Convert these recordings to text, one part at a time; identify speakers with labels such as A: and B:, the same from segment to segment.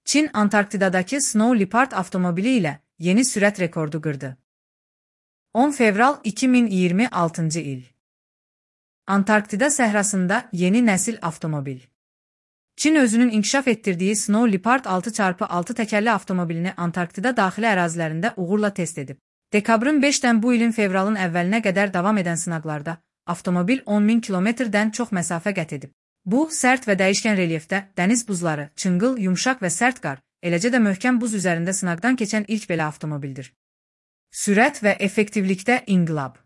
A: Çin Antarktidadakı Snow Leopard avtomobili ilə yeni sürət rekordu qırdı. 10 fevral 2026 il. Antarktida səhrasında yeni nəsil avtomobil. Çin özünün inkişaf etdirdiyi Snow Leopard 6x6 təkərli avtomobilini Antarktida daxili ərazilərində uğurla test edib. Dekabrın 5-dən bu ilin fevralın əvvəlinə qədər davam edən sınaqlarda avtomobil 10.000 kilometrdən çox məsafə qət edib. Bu, sərt və dəyişkən relyefdə dəniz buzları, çınqıl, yumşaq və sərt qar, eləcə də möhkəm buz üzərində sınaqdan keçən ilk belə avtomobildir. Sürət və effektivlikdə inqilab.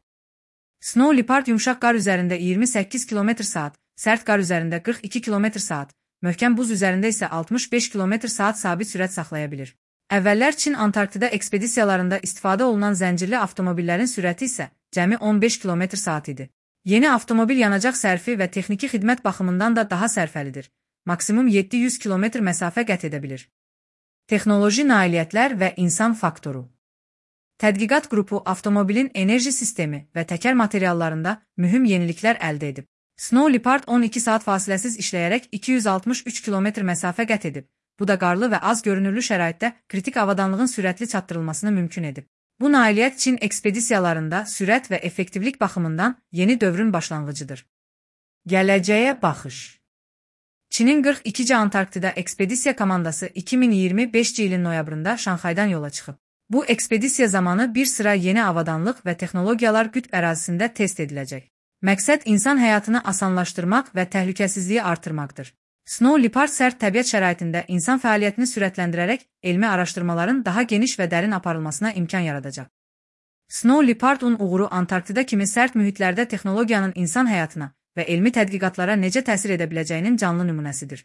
A: Snow Leopard yumşaq qar üzərində 28 km/saat, sərt qar üzərində 42 km/saat, möhkəm buz üzərində isə 65 km/saat sabit sürət saxlaya bilir. Əvvəllər Çin Antarktida ekspedisiyalarında istifadə olunan zəncirli avtomobillərin sürəti isə cəmi 15 km/saat idi. Yeni avtomobil yanacaq sərfi və texniki xidmət baxımından da daha sərfəlidir. Maksimum 700 km məsafə qət edə bilir. Texnoloji nailiyyətlər və insan faktoru. Tədqiqat qrupu avtomobilin enerji sistemi və təkər materiallarında mühüm yeniliklər əldə edib. Snow Leopard 12 saat fasiləsiz işləyərək 263 km məsafə qət edib. Bu da qarlı və az görünürlü şəraitdə kritik avadanlığın sürətli çatdırılmasını mümkün edib. Bu nailiyyət Çin ekspedisiyalarında sürət və effektivlik baxımından yeni dövrün başlanğıcıdır. Gələcəyə baxış. Çinin 42-ci Antarktida ekspedisiya komandası 2025 ilin noyabrında Şanxaydan yola çıxıb. Bu ekspedisiya zamanı bir sıra yeni avadanlıq və texnologiyalar qütb ərazisində test ediləcək. Məqsəd insan həyatını asanlaşdırmaq və təhlükəsizliyi artırmaqdır. Snow Leopard sərt təbiət şəraitində insan fəaliyyətini sürətləndirərək elmi araşdırmaların daha geniş və dərin aparılmasına imkan yaradacaq. Snow Leopard'un uğuru Antarktida kimi sərt mühitlərdə texnologiyanın insan həyatına və elmi tədqiqatlara necə təsir edə biləcəyinin canlı nümunəsidir.